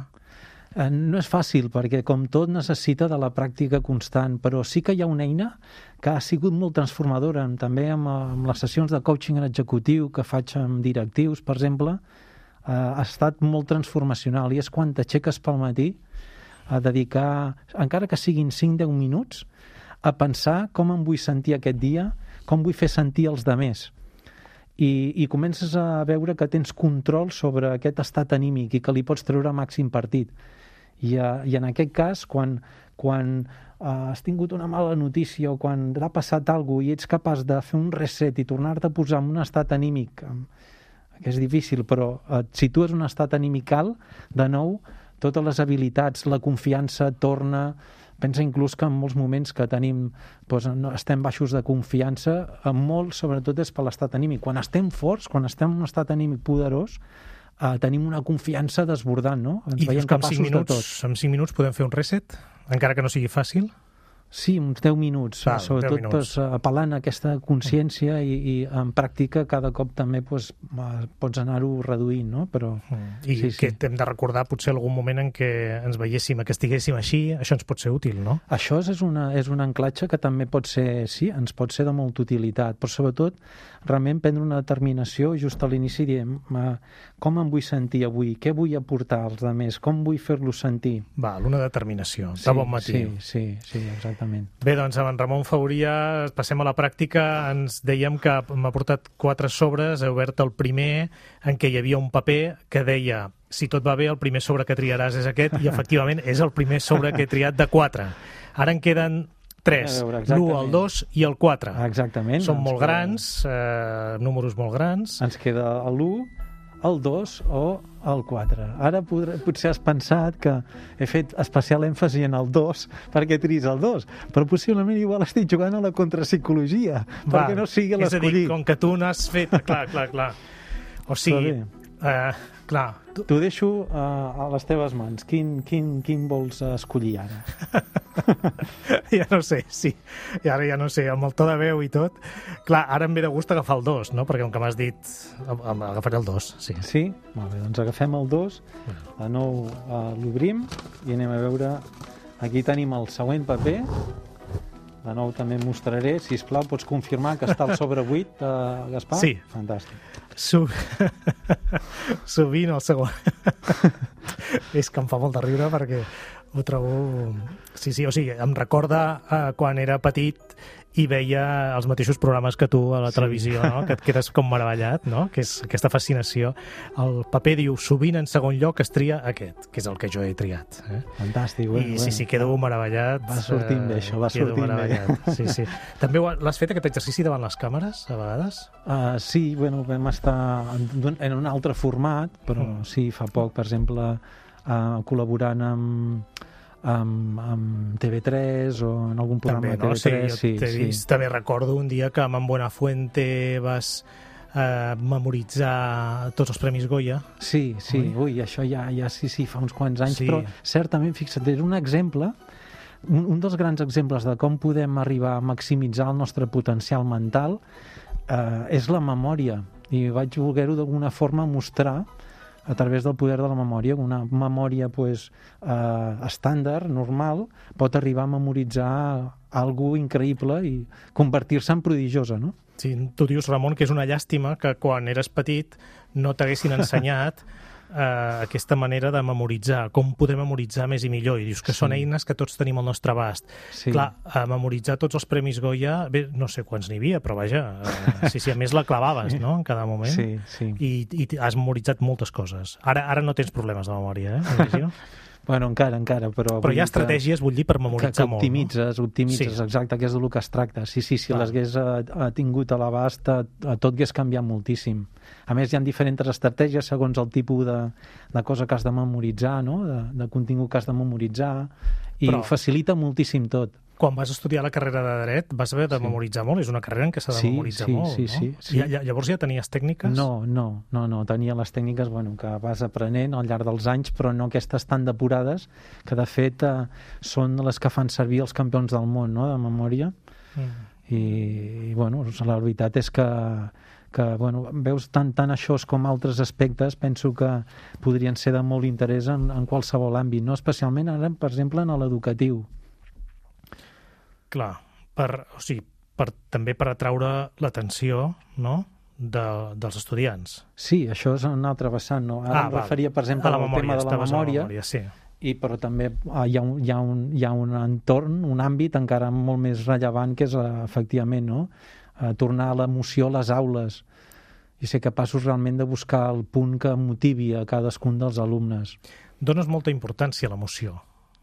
No és fàcil, perquè com tot necessita de la pràctica constant, però sí que hi ha una eina que ha sigut molt transformadora, també amb, amb les sessions de coaching executiu que faig amb directius, per exemple, eh, ha estat molt transformacional, i és quan t'aixeques pel matí a dedicar, encara que siguin cinc a deu minuts, a pensar com em vull sentir aquest dia, com vull fer sentir els demés. I, i comences a veure que tens control sobre aquest estat anímic i que li pots treure màxim partit. I, uh, i en aquest cas, quan, quan uh, has tingut una mala notícia o quan t'ha passat alguna cosa i ets capaç de fer un reset i tornar-te a posar en un estat anímic, que és difícil, però et situes en un estat anímic alt, de nou, totes les habilitats, la confiança torna... Pensa inclús que en molts moments que tenim, doncs, no, estem baixos de confiança, en molt, sobretot, és per l'estat anímic. Quan estem forts, quan estem en un estat anímic poderós, eh, tenim una confiança desbordant, no? Ens I veiem capaços minuts, de tot. En cinc minuts podem fer un reset, encara que no sigui fàcil? Sí, uns deu minuts, Val, sobretot deu minuts. Pues, apel·lant a aquesta consciència i, i en pràctica cada cop també pues, pots anar-ho reduint, no? Però, mm. I sí, que sí. hem de recordar potser algun moment en què ens veiéssim, que estiguéssim així, això ens pot ser útil, no? Això és, una, és un anclatge que també pot ser, sí, ens pot ser de molta utilitat, però sobretot realment prendre una determinació just a l'inici diem com em vull sentir avui, què vull aportar als altres, com vull fer-los sentir. Val, una determinació, sí, de bon matí. Sí, sí, sí, exactament. Bé, doncs amb en Ramon Fauria passem a la pràctica. Ens dèiem que m'ha portat quatre sobres, he obert el primer en què hi havia un paper que deia si tot va bé el primer sobre que triaràs és aquest i efectivament és el primer sobre que he triat de quatre. Ara en queden tres. A veure, l'u, el dos i el quatre. Exactament. Són Ens molt queda- grans, eh, números molt grans. Ens queda l'u, el dos o el quatre. Ara podré, potser has pensat que he fet especial èmfasi en el dos perquè tris el dos, però possiblement igual estic jugant a la contrapsicologia, Va, perquè no sigui és a dir, l'escollit. com que tu n'has fet... Clar, clar, clar. O sigui, eh, clar... Tu... T'ho deixo uh, a les teves mans. Quin, quin, quin vols escollir ara? ja no sé, sí. I ara ja no sé, amb el to de veu i tot. Clar, ara em ve de gust agafar el dos, no? Perquè com que m'has dit, am- agafaré el dos, sí. Sí? Molt bé, doncs agafem el dos, de nou uh, l'obrim i anem a veure... Aquí tenim el següent paper. De nou també em mostraré. Sisplau, pots confirmar que està al sobre vuit, uh, Gaspar? Sí. Fantàstic. Sov... Sovint el segon. És que em fa molt de riure perquè ho trobo... Sí, sí, o sigui, em recorda eh, quan era petit i veia els mateixos programes que tu a la Sí. televisió, no? Que et quedes com meravellat, no? Que és aquesta fascinació. El paper diu, sovint en segon lloc es tria aquest, que és el que jo he triat. Eh? Fantàstic. I Bueno, sí, sí, quedo meravellat. Va sortint bé, això, va quedo sortint bé. meravellat. Sí, sí. També ho ha- l'has fet, aquest exercici, davant les càmeres, a vegades? Uh, sí, bueno, vam estar en, en un altre format, però Mm. sí, fa poc, per exemple, uh, col·laborant amb, amb, amb T V tres o en algun programa També, no? de T V tres. Sí, jo t'he sí, vist. També recordo un dia que amb en Buenafuente vas eh, memoritzar tots els Premis Goya. Sí, sí, Oi? ui, això ja, ja sí, sí, fa uns quants anys, Sí. però certament, fixa't, és un exemple, un, un dels grans exemples de com podem arribar a maximitzar el nostre potencial mental eh, és la memòria, i vaig voler-ho d'alguna forma mostrar a través del poder de la memòria. Una memòria pues, eh, estàndard, normal, pot arribar a memoritzar algo increïble i convertir-se en prodigiosa, no? Sí, tu dius, Ramon, que és una llàstima que quan eres petit no t'haguessin ensenyat eh, aquesta manera de memoritzar, com poder memoritzar més i millor, i dius que Sí. són eines que tots tenim al nostre abast. Sí. Clar, a memoritzar tots els Premis Goya, bé, no sé quants n'hi havia, però vaja, eh, sí, sí, a més la clavaves, no?, en cada moment. Sí, sí. I, i has memoritzat moltes coses. Ara ara no tens problemes de memòria, eh? Imagino. Bueno, encara, encara, però... Però vull hi ha dir que- estratègies, vull dir, per que, memoritzar que molt. optimitzes, optimitzes, Sí. exacte, que és del que es tracta. Sí, sí, si Clar. l'hagués eh, eh, tingut a l'abast, eh, eh, tot hagués canviat moltíssim. A més, hi ha diferents estratègies segons el tipus de, de cosa que has de memoritzar, no? de, de contingut que has de memoritzar, i Però- facilita moltíssim tot. Quan vas estudiar la carrera de Dret vas haver de Sí. memoritzar molt, és una carrera en què s'ha de Sí, memoritzar sí, molt, sí, no? sí, sí. Ja, ja, llavors ja tenies tècniques? No, no, no, no, tenia les tècniques bueno, que vas aprenent al llarg dels anys, però no aquestes tan depurades, que de fet eh, són les que fan servir els campions del món, no?, de memòria. Mm. I, i bueno, la veritat és que, que bueno, veus tant, tant això com altres aspectes, penso que podrien ser de molt interès en, en qualsevol àmbit, no? Especialment ara, per exemple, en l'educatiu. Clar, per, o sigui, per, també per atraure l'atenció, no?, de, dels estudiants. Sí, això és un altre vessant, no? Ara em val. referia, per exemple, A la al memòria, tema de la estaves a memòria, memòria, sí. i però també ah, hi ha, un, hi, ha un, hi ha un entorn, un àmbit encara molt més rellevant, que és eh, efectivament, no?, eh, tornar a l'emoció a les aules i ser capaços realment de buscar el punt que motivi a cadascun dels alumnes. Dones molta importància a l'emoció.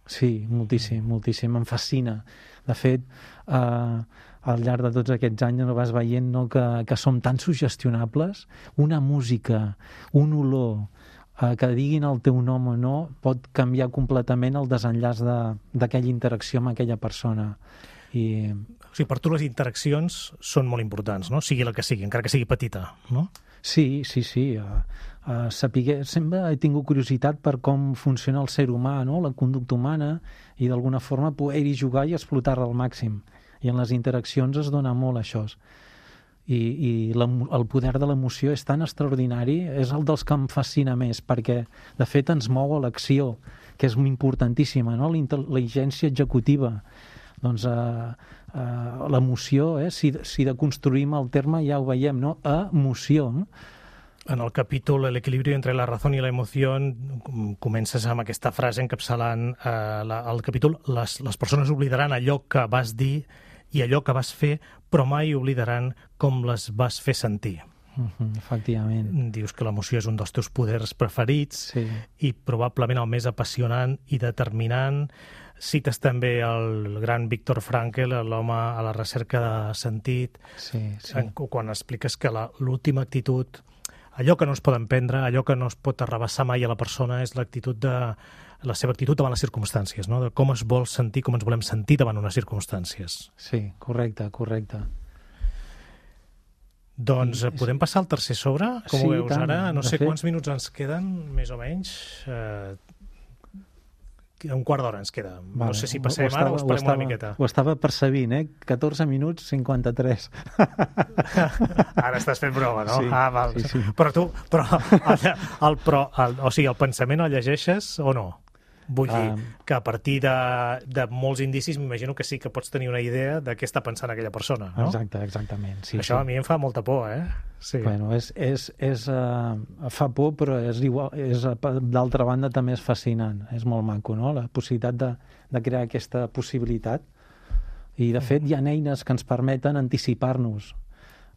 Sí, moltíssim, moltíssim, em fascina. De fet, eh, al llarg de tots aquests anys vas veient, no, que, que som tan sugestionables. Una música, un olor, eh, que diguin el teu nom o no, pot canviar completament el desenllaç de- d'aquella interacció amb aquella persona. I O sigui, per tu les interaccions són molt importants, no?, sigui la que sigui, encara que sigui petita, no? sí, sí, sí. Uh, uh, sapiguer, sempre he tingut curiositat per com funciona el ser humà, no?, la conducta humana, i d'alguna forma poder-hi jugar i explotar-la al màxim. I en les interaccions es dona molt això. I, i la, el poder de l'emoció és tan extraordinari, és el dels que em fascina més, perquè de fet ens mou a l'acció, que és importantíssima, no?, la intel·ligència executiva. Doncs eh, eh, l'emoció, eh, si, si de construïm el terme ja ho veiem, no?, emoció, no? En el capítol El equilibrio entre la razón y la emoción comences amb aquesta frase encapçalant eh, la, el capítol les, les persones oblidaran allò que vas dir i allò que vas fer, però mai oblidaran com les vas fer sentir. Uh-huh, efectivament. Dius que l'emoció és un dels teus poders preferits Sí. i probablement el més apassionant i determinant. cites també el gran Viktor Frankl, l'home a la recerca de sentit, Sí, sí. en, quan expliques que la- l'última actitud, allò que no es poden prendre, allò que no es pot arrabassar mai a la persona és l'actitud de la seva actitud davant les circumstàncies, no? De com es vol sentir, com ens volem sentir davant unes circumstàncies. Sí, correcte, correcte. Doncs I eh, és- podem passar al tercer sobre? Com Sí, ho veus tant. ara? No De sé fet- quants minuts ens queden, més o menys. Eh, un quart d'hora ens queda. No sé si passem ara o esperem una miqueta. Ho estava percebint, eh? catorze minuts cinquanta-tres. Ara estàs fent broma, no? Sí, ah, val. sí, sí. Però tu, però, el, el, però el, o sigui, el pensament el llegeixes o no? Vull dir, Um, que a partir de, de molts indicis m'imagino que sí que pots tenir una idea de què està pensant aquella persona, no? Exacte, exactament. Sí, Això sí. a mi em fa molta por, eh? Sí. Bueno, és, és, és, uh, fa por, però és igual, és, uh, d'altra banda també és fascinant, és molt maco, no? La possibilitat de, de crear aquesta possibilitat. I, de fet, hi ha eines que ens permeten anticipar-nos.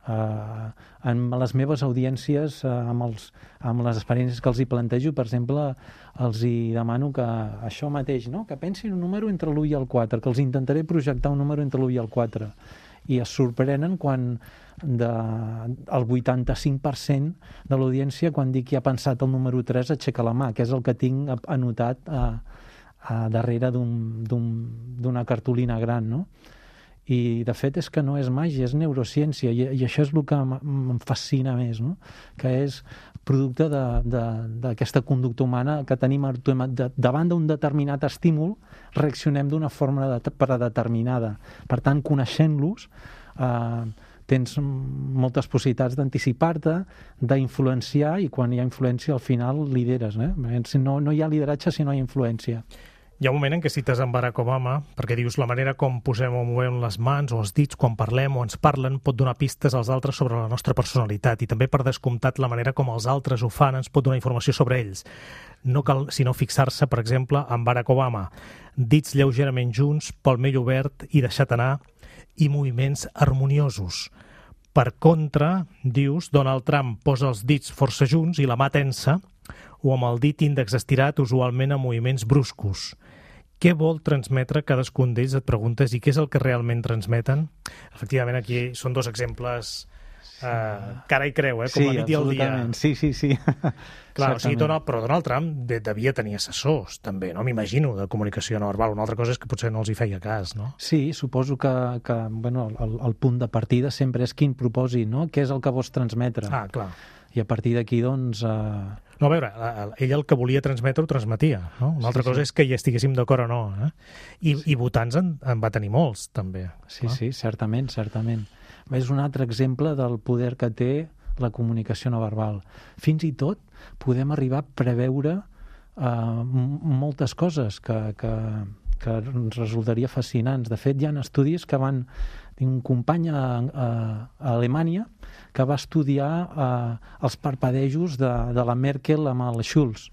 Uh, en les meves audiències, uh, amb, els, amb les experiències que els hi plantejo, per exemple, els hi demano que això mateix, no? Que pensin un número entre l'u i el quatre, que els intentaré projectar un número entre l'u i el quatre. I es sorprenen quan de, el vuitanta-cinc per cent de l'audiència, quan dic que ha pensat el número tres, aixeca la mà, que és el que tinc anotat a, a darrere d'un- d'un- d'una cartolina gran, no? I, de fet, és que no és màgia, és neurociència, i, i això és el que m- em fascina més, no? Que és producte de- de- d'aquesta conducta humana que tenim autom- de, davant d'un determinat estímul, reaccionem d'una forma de, predeterminada. Per tant, coneixent-los, eh, tens moltes possibilitats d'anticipar-te, d'influenciar, i quan hi ha influència, al final lideres. Eh? No, no hi ha lideratge si no hi ha influència. Hi ha un moment en què cites en Barack Obama perquè dius la manera com posem o movem les mans o els dits quan parlem o ens parlen pot donar pistes als altres sobre la nostra personalitat, i també, per descomptat, la manera com els altres ho fan ens pot donar informació sobre ells. No cal sinó fixar-se, per exemple, en Barack Obama. Dits lleugerament junts, palmell obert i deixat anar, i moviments harmoniosos. Per contra, dius, Donald Trump posa els dits força junts i la mà tensa, o amb el dit índex estirat, usualment amb moviments bruscos. Què vol transmetre cadascun d'ells, et preguntes, i què és el que realment transmeten? Efectivament, aquí són dos exemples eh, cara i creu, eh, com Sí, la nit i el dia. absolutament. Sí, sí, sí. Clar, o sigui, Certament. Donald, però Donald Trump de, devia tenir assessors, també, no? M'imagino, de comunicació no verbal. Una altra cosa és que potser no els hi feia cas, no? Sí, suposo que, que bueno, el, el punt de partida sempre és quin propòsit, no? Què és el que vols transmetre? Ah, clar. I a partir d'aquí, doncs... Eh, No, a veure, ell el que volia transmetre ho transmetia, no? Una altra Sí, cosa sí. és que hi estiguéssim d'acord o no, eh? I, i votants en, en va tenir molts, també. sí, no? sí, certament, certament. És un altre exemple del poder que té la comunicació no verbal. Fins i tot podem arribar a preveure eh, m- moltes coses que, que, que ens resultaria fascinants. De fet, hi ha estudis que van... Tinc un company a, a, a Alemanya que va estudiar eh, els parpadejos de, de la Merkel amb el Schulz.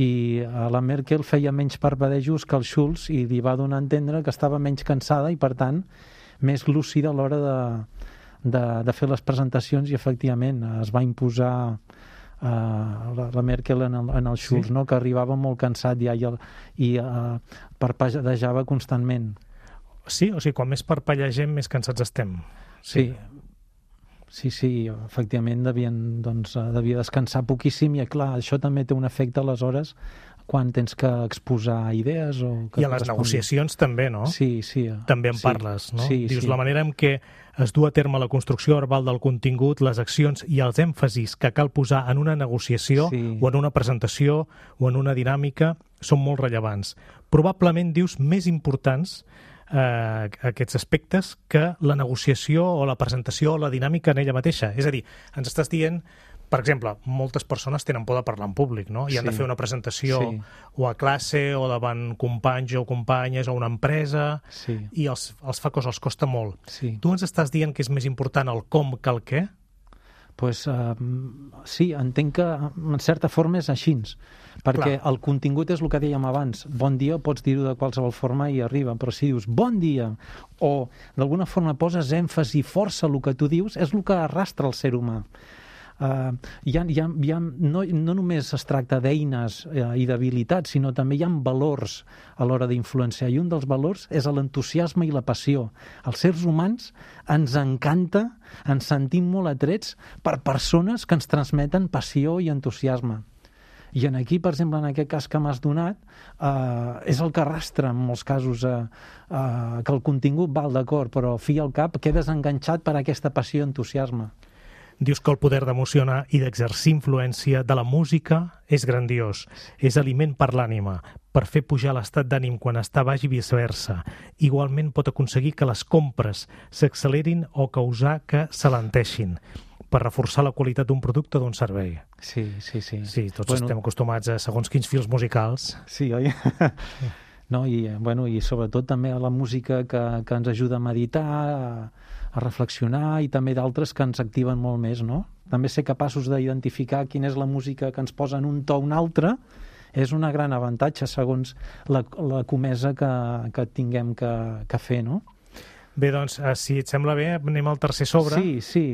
I eh, la Merkel feia menys parpadejos que el Schulz i li va donar a entendre que estava menys cansada i, per tant, més lúcida a l'hora de, de, de fer les presentacions, i efectivament es va imposar uh, la, la Merkel en el, en el Schulz, Sí. no? Que arribava molt cansat ja i, el, i uh, parpadejava constantment. Sí, o sigui, quan més parpellegem, més cansats estem. Sí, sí, sí, efectivament devien, doncs, eh, devia descansar poquíssim, i clar, això també té un efecte aleshores quan tens que exposar idees o que I a les correspongui. negociacions també, no? Sí, sí. També en sí, parles, no? Sí, Dius sí. la manera en què es du a terme la construcció verbal del contingut, les accions i els èmfasis que cal posar en una negociació Sí. o en una presentació o en una dinàmica són molt rellevants. Probablement, dius, més importants eh, aquests aspectes que la negociació o la presentació o la dinàmica en ella mateixa. És a dir, ens estàs dient, per exemple, moltes persones tenen por de parlar en públic, no? I han de Sí. fer una presentació Sí. o a classe o davant companys o companyes o una empresa, Sí, i els, els fa cosa, els costa molt. sí. Tu ens estàs dient que és més important el com que el què? Pues, uh, sí, entenc que en certa forma és així, perquè Clar. el contingut és el que dèiem abans. Bon dia pots dir-ho de qualsevol forma i arriba, però si dius bon dia o d'alguna forma poses èmfasi i força el que tu dius, és el que arrastra el ser humà. Uh, hi ha, hi ha, hi ha, no, no només es tracta d'eines uh, i d'habilitats, sinó també hi ha valors a l'hora d'influenciar, i un dels valors és l'entusiasme i la passió. Els seres humans ens encanta, ens sentim molt atrets per persones que ens transmeten passió i entusiasme. I en aquí, per exemple, en aquest cas que m'has donat, eh, és el que arrastra en molts casos, eh, eh, que el contingut val d'acord, però fi al cap quedes enganxat per aquesta passió i entusiasme. Dius que el poder d'emocionar i d'exercir influència de la música és grandiós, és aliment per l'ànima, per fer pujar l'estat d'ànim quan està baix i viceversa. Igualment pot aconseguir que les compres s'accelerin o causar que s'alenteixin, per reforçar la qualitat d'un producte o d'un servei. Sí, sí, sí. Sí, tots bueno, estem acostumats a segons quins fils musicals. Sí, oi? No, i, bueno, i sobretot també a la música que, que ens ajuda a meditar, a, a reflexionar, i també d'altres que ens activen molt més, no? També ser capaços d'identificar quina és la música que ens posa en un to o un altre és un gran avantatge segons la, la comesa que, que tinguem que, que fer, no? Bé, doncs, si et sembla bé, anem al tercer sobre. Sí, sí.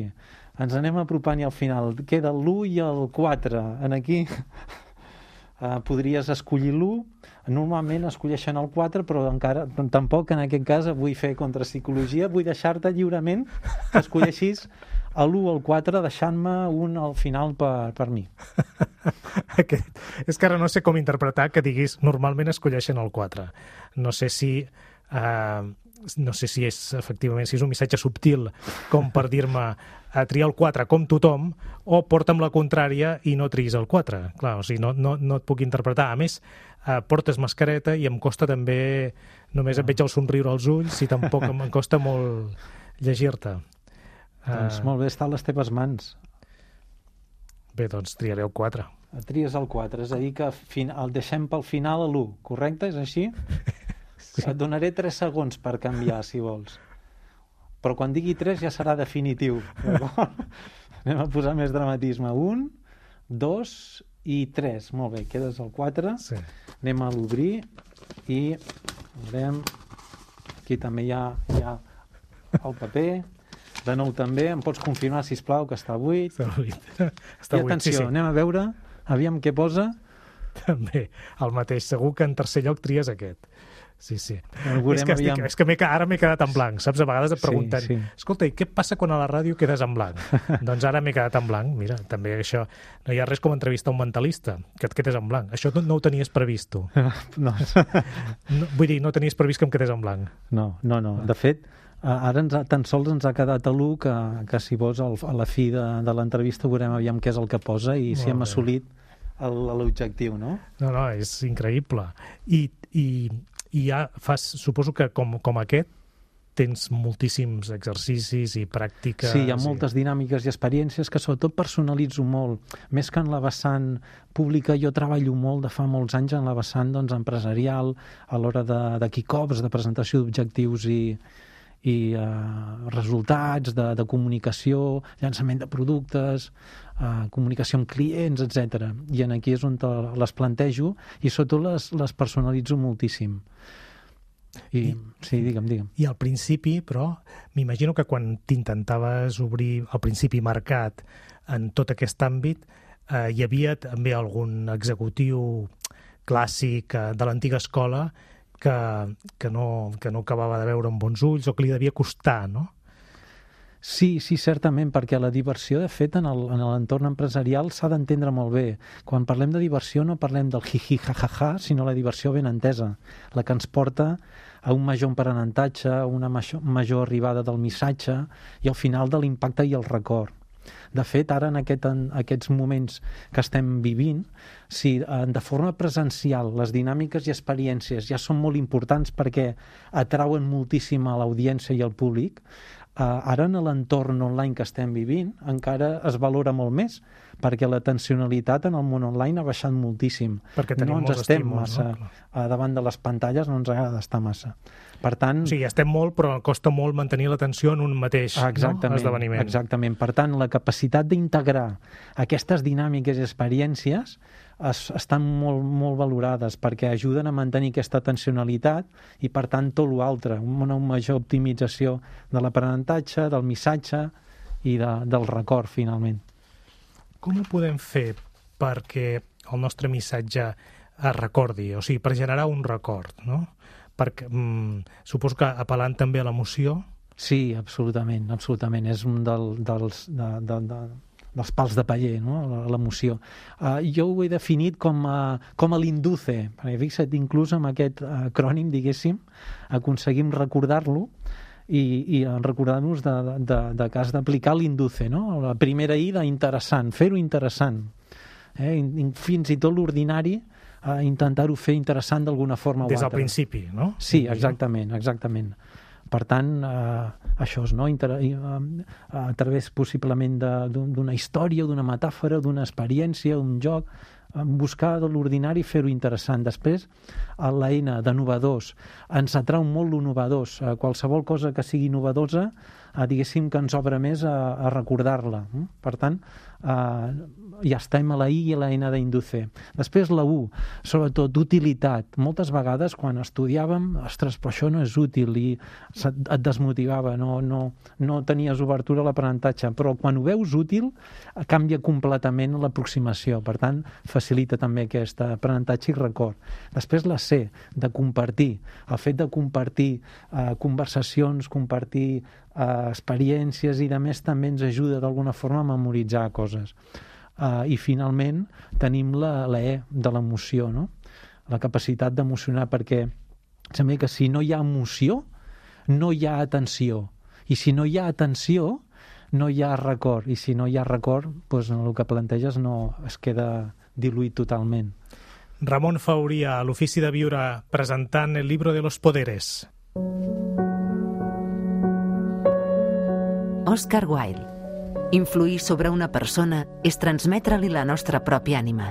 Ens anem apropant i al final queda l'u i el quatre. En aquí uh, podries escollir l'u. Normalment escolleixen el quatre, però encara tampoc en aquest cas vull fer contrapsicologia, vull deixar-te lliurement que escolleixis l'u o el quatre, deixant-me un al final per, per mi. Aquest. És que ara no sé com interpretar que diguis normalment escolleixen el quatre. No sé si... Uh, no sé si és efectivament si és un missatge subtil com per dir-me a triar el quatre com tothom, o porta'm la contrària i no triïs el quatre. Clar, o sigui, no, no, no et puc interpretar. A més, eh, portes mascareta i em costa també, només et veig el somriure als ulls i tampoc em costa molt llegir-te. Doncs molt bé, està a les teves mans. Bé, doncs triaré el quatre. Tries el quatre, és a dir que fin... el deixem pel final a l'u, correcte? És així? Sí. Et donaré tres segons per canviar, si vols. Però quan digui tres ja serà definitiu. Anem a posar més dramatisme. Un, dos i tres. Molt bé, quedes al quatre. Sí. Anem a l'obrir i veurem. Aquí també hi ha, hi ha el paper. De nou també. Em pots confirmar, sisplau, que està buit. Està buit. Està I buit. atenció, Sí, sí. anem a veure. Aviam què posa. També, el mateix. Segur que en tercer lloc tries aquest. Sí, sí. Veurem, és que, estic, és que m'he, ara m'he quedat en blanc, saps? A vegades et pregunten, Sí, sí. escolta, i què passa quan a la ràdio quedes en blanc? Doncs ara m'he quedat en blanc. Mira, també això... No hi ha res com entrevistar un mentalista, que et quedes en blanc. Això no, no ho tenies previst, tu. No. No, vull dir, no tenies previst que em quedés en blanc. No, no, no. De fet, ara ens ha, tan sols ens ha quedat a l'u que, que si vols al, a la fi de, de l'entrevista veurem aviam què és el que posa i si Molt hem bé. assolit el- l'objectiu, no? No, no, és increïble. I, i, i ja fas, suposo que com, com aquest, tens moltíssims exercicis i pràctiques... Sí, hi ha i- moltes dinàmiques i experiències que sobretot personalitzo molt. Més que en la vessant pública, jo treballo molt de fa molts anys en la vessant doncs, empresarial, a l'hora de, de kick-offs, de presentació d'objectius i, i uh, resultats, de, de comunicació, llançament de productes, uh, comunicació amb clients, etcètera. I en aquí és on te les plantejo i sobretot les, les personalitzo moltíssim. I, I- sí, digue'm, digue'm. I al principi, però, m'imagino que quan t'intentaves obrir al principi mercat en tot aquest àmbit, eh, hi havia també algun executiu clàssic eh, de l'antiga escola que, que, no, que no acabava de veure amb bons ulls o que li devia costar, no? Sí, sí, certament, perquè la diversió, de fet, en el- en l'entorn empresarial s'ha d'entendre molt bé. Quan parlem de diversió no parlem del hi-hi, ha-ha-ha, sinó la diversió ben entesa, la que ens porta a un major aprenentatge, a una major, major arribada del missatge i al final de l'impacte i el record. De fet, ara en, aquest, en aquests moments que estem vivint, si eh, de forma presencial les dinàmiques i experiències ja són molt importants perquè atrauen moltíssim a l'audiència i al públic, eh, ara en l'entorn online que estem vivint encara es valora molt més perquè la tensionalitat en el món online ha baixat moltíssim. Perquè tenim no ens molts estem estímuls, massa no? eh, davant de les pantalles, no ens agrada estar massa. Per tant, O sigui, estem molt, però costa molt mantenir l'atenció en un mateix exactament, no? esdeveniment. Exactament. Per tant, la capacitat d'integrar aquestes dinàmiques i experiències es, estan molt, molt valorades perquè ajuden a mantenir aquesta tensionalitat i, per tant, tot l'altre, una major optimització de l'aprenentatge, del missatge i de, del record, finalment. com ho podem fer perquè el nostre missatge es recordi, o sigui, per generar un record, no? Perquè mm, suposo que apel·lant també a l'emoció. Sí, absolutament, absolutament. És un del, dels, de, de, de, dels pals de paller, no? L'emoció. Uh, jo ho he definit com a, com a l'induce, perquè fixa't, inclús amb aquest acrònim, diguéssim, aconseguim recordar-lo i, i recordar-nos de, de, de que has d'aplicar l'induce, no? La primera I d'interessant, fer-ho interessant. Eh? Fins i tot l'ordinari, a intentar-ho fer interessant d'alguna forma o altra. Des del altra. principi, no? Sí, exactament, exactament. Per tant, eh, això és, no? Inter eh, a través possiblement d'una història, d'una metàfora, d'una experiència, un joc, buscar de l'ordinari i fer-ho interessant. Després, a la N de novedós, ens atrau molt lo novedós. Qualsevol cosa que sigui novedosa, eh, diguéssim que ens obre més a, a recordar-la. Per tant, eh, ja estem a la I i a la N d'induce. Després la U, sobretot d'utilitat. Moltes vegades quan estudiàvem, ostres, però això no és útil, i et desmotivava, no, no, no tenies obertura a l'aprenentatge, però quan ho veus útil canvia completament l'aproximació. Per tant, facilita també aquest aprenentatge i record. Després la C, de compartir. El fet de compartir eh, conversacions, compartir eh, experiències i de més també ens ajuda d'alguna forma a memoritzar coses. Uh, I finalment tenim la, la E de l'emoció, no? La capacitat d'emocionar, perquè sembla que si no hi ha emoció no hi ha atenció, i si no hi ha atenció no hi ha record, i si no hi ha record, doncs el que planteges no es queda diluït totalment. Ramon Fauria, a l'Ofici de Viure, presentant el Libro de los Poderes. Oscar Wilde. Influir sobre una persona és transmetre-li la nostra pròpia ànima.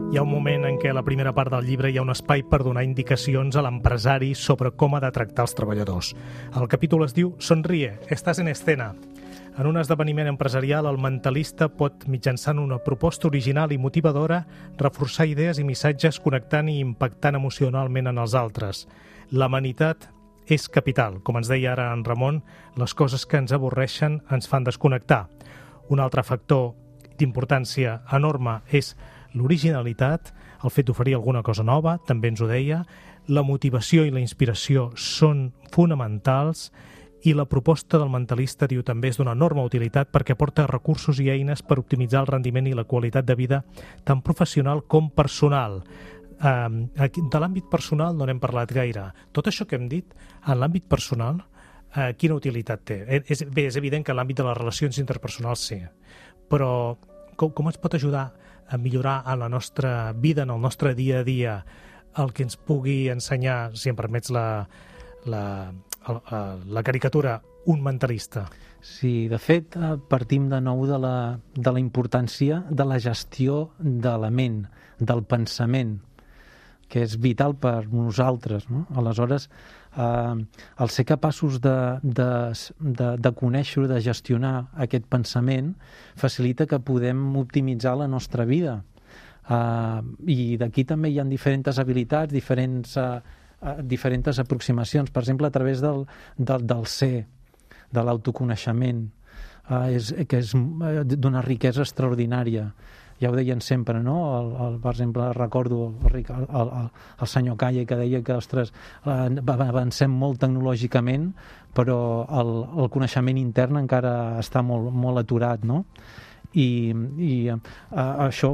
Hi ha un moment en què a la primera part del llibre hi ha un espai per donar indicacions a l'empresari sobre com ha de tractar els treballadors. El capítol es diu Sonríe, estàs en escena. En un esdeveniment empresarial, el mentalista pot, mitjançant una proposta original i motivadora, reforçar idees i missatges connectant i impactant emocionalment en els altres. L'amenitat és capital. Com ens deia ara en Ramon, les coses que ens avorreixen ens fan desconnectar. Un altre factor d'importància enorme és l'originalitat, el fet d'oferir alguna cosa nova, també ens ho deia, la motivació i la inspiració són fonamentals i la proposta del mentalista, diu, també és d'una enorme utilitat perquè aporta recursos i eines per optimitzar el rendiment i la qualitat de vida tant professional com personal. Uh, de l'àmbit personal no n'hem parlat gaire. Tot això que hem dit, en l'àmbit personal, uh, quina utilitat té? És, bé, és evident que en l'àmbit de les relacions interpersonals sí, però com, com ens pot ajudar a millorar en la nostra vida, en el nostre dia a dia, el que ens pugui ensenyar, si em permets la, la, la, la caricatura, un mentalista? Sí, de fet, partim de nou de la, de la importància de la gestió de la ment, del pensament, que és vital per nosaltres, no? Aleshores, eh, el ser capaços de, de, de, de conèixer, de gestionar aquest pensament, facilita que podem optimitzar la nostra vida. Eh, I d'aquí també hi ha diferents habilitats, diferents, eh, diferents aproximacions, per exemple, a través del, del, del ser, de l'autoconeixement, eh, és, que és d'una riquesa extraordinària. Ja ho deien sempre, no? El, el, per exemple, recordo el, el, el, el senyor Calle que deia que, ostres, avancem molt tecnològicament, però el, el coneixement intern encara està molt, molt aturat, no? I, i uh, això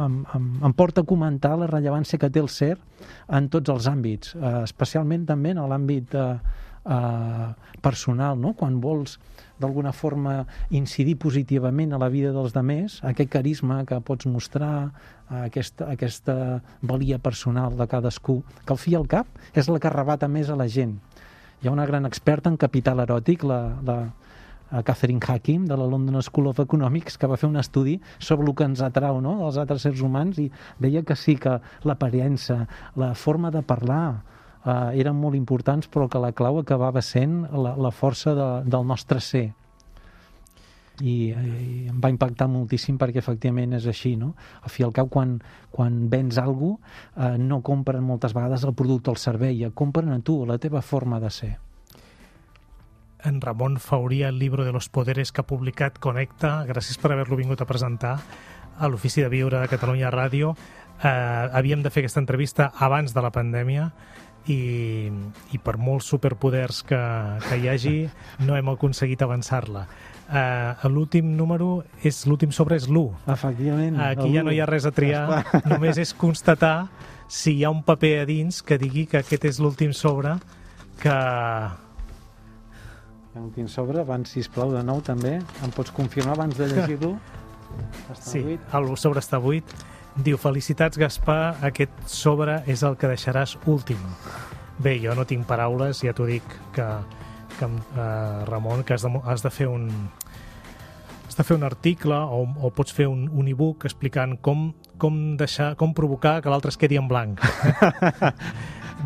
em, em, em porta a comentar la rellevància que té el ser en tots els àmbits, uh, especialment també en l'àmbit uh, uh, personal, no? Quan vols d'alguna forma incidir positivament a la vida dels demés, aquest carisma que pots mostrar, aquesta, aquesta valia personal de cadascú, que al fi i al cap és la que arrebata més a la gent. Hi ha una gran experta en capital eròtic, la, la Catherine Hakim, de la London School of Economics, que va fer un estudi sobre el que ens atrau, no?, dels altres éssers humans, i deia que sí, que l'aparença, la forma de parlar, Uh, eren molt importants, però que la clau acabava sent la, la força de, del nostre ser. I, i em va impactar moltíssim perquè efectivament és així, no? Al fi i al cap, quan, quan vens alguna cosa, uh, no compren moltes vegades el producte o el servei, compren a tu, la teva forma de ser. en Ramon Fauria, el libro de los poderes que ha publicat Connecta. Gràcies per haver-lo vingut a presentar a l'Ofici de Viure de Catalunya Ràdio. Eh, havíem de fer aquesta entrevista abans de la pandèmia i, i per molts superpoders que, que hi hagi no hem aconseguit avançar-la. Uh, l'últim número és l'últim sobre és l'u. Efectivament. Aquí ja no hi ha res a triar, només és constatar si hi ha un paper a dins que digui que aquest és l'últim sobre que... L'últim sobre, abans, sisplau, de nou també, em pots confirmar abans de llegir-lo? Sí, el sobre està buit. Diu, felicitats Gaspar, aquest sobre és el que deixaràs últim. Bé, jo no tinc paraules, ja t'ho dic que, que uh, Ramon, que has de, has de fer un has de fer un article o, o pots fer un, un e-book explicant com, com, deixar, com provocar que l'altre es quedi en blanc.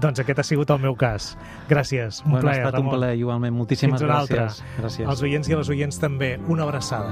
Doncs aquest ha sigut el meu cas. Gràcies, un bueno, plaer, ha estat Ramon. un plaer, igualment. Moltíssimes Fins gràcies. gràcies. Els oients i les oients també. Una abraçada.